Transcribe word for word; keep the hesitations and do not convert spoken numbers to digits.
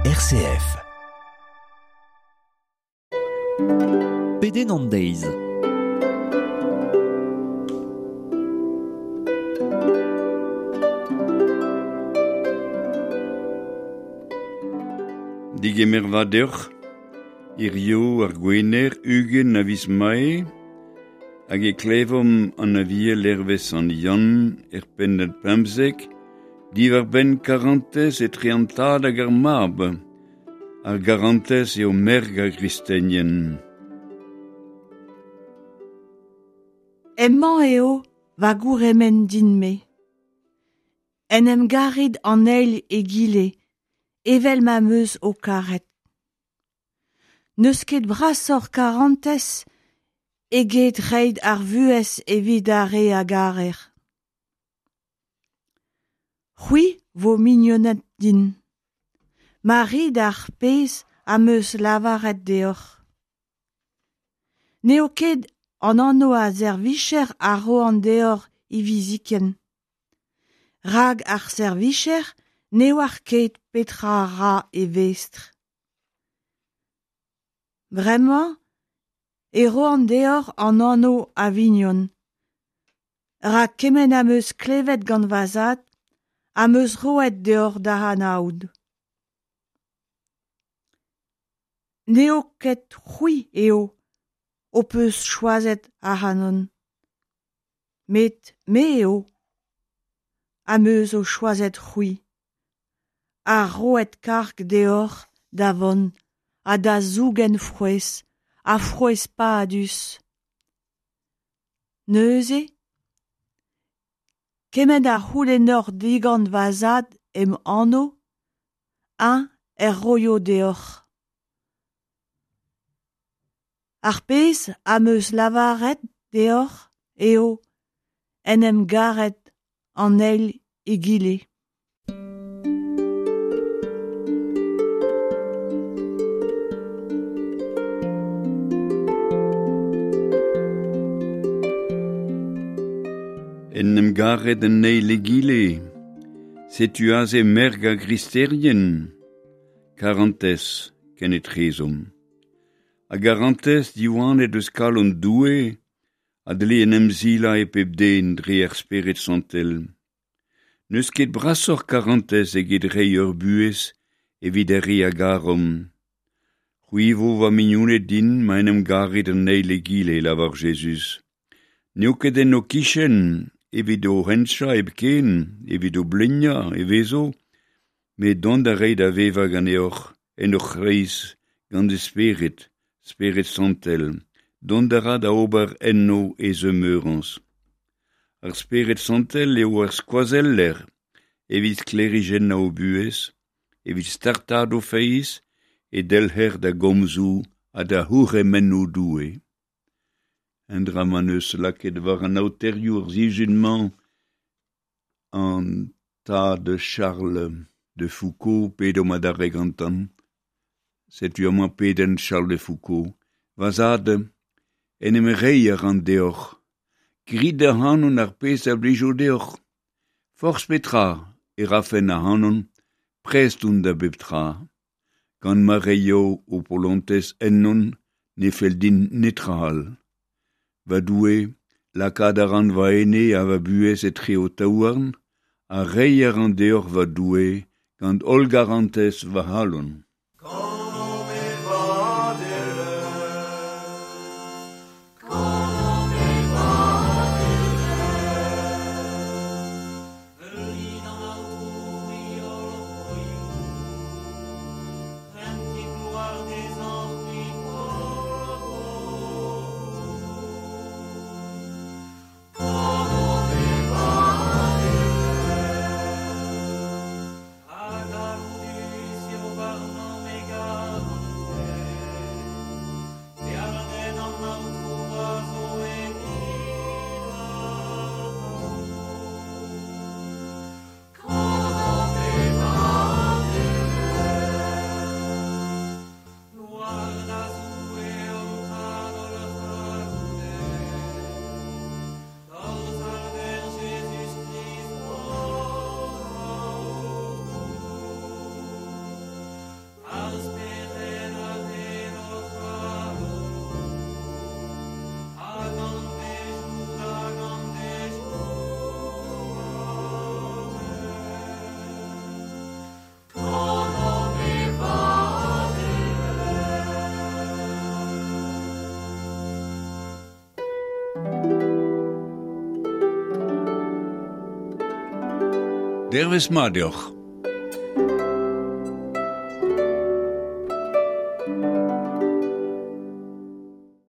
R C F. Pedenn an deiz. Digemer va deoc'h, hirio ar gwener ugent a viz Mae, hag e klevomp an aviel hervez an Yann er pennad pemzek, diwar benn karantez etre an tad hag ar mab, ar garantez eo merg ar gristenien. Emañ eo va gourhemenn din-me. En em garit an eil egile, evel ma 'm eus ho karet. N'eus ket brasoc'h karantez eget reiñ ar vuhez evit ar re a garer. C'hwi vo mignoned din, ma rit ar pezh am eus lavaret deoc'h. N'eo ket an anv a servijer a roan deoc'h hiviziken. Rak ar servijer ne oar ket petra a ra e vestr. Bremañ e roan deoc'h an anv a vignon. Rak kement am eus klevet gant va zad am eus roet deoc'h da anaout. N'eo ket c'hwi eo ho peus choazet ac'hanon, met me eo am eus ho choazet c'hwi, ha roet karg deoc'h da vont ha da zougen frouezh, ha frouezh padus. Neuze, kement a c'houlennoc'h digant va zad em anv, eñ er roio deoc'h. Ar pezh am eus lavaret deoc'h eo en em garet an eil egile. En em garet an eil egile, setu aze merg ar gristerien, karantez ken etrezomp. A garantez diwanet eus kalon Doue, a dle en em zila e pep den dre ar spered santel. N'eus ket brasoc'h karantez eget reiñ ur buhez evit ar re a garomp. C'hwi vo va mignoned din ma en em garit an eil egile, lavar Jezuz. N'eo ket en ho kichen evit ho hentchañ hepken, evit ho bleuniañ e vezo, met dont da reiñ da vevañ ganeoc'h en hoc'h c'hreiz gant e spered, spered santel, dont a ra da ober enno e zemeurañs. Ar spered santel eo ar skoazeller evit sklêrijennañ ho buhez, evit startaat ho feiz e delc'her da gomzoù ha da c'hourc'hemennoù Doue. Un dra ma n'eus lakaet war an aoterioù ar sizhun-mañ an tad Charles de Foucauld pedomp adarre gantañ. Setu amañ pedenn Charles de Foucauld. Va zad, en em reiñ a ran deoc'h. Grit ac'hanon ar pezh a blijo deoc'h. Forzh petra e rafen ac'hanon, prest on da bep tra. Gant ma reio ho polontez ennon, ne fell din netra all. Va Doue, lakaat a ran va ene ha va buhez etre ho taouarn, ha reiñ a ran deoc'h va Doue gant holl garantez va c'halon. Hag Dervezh mat deoc'h.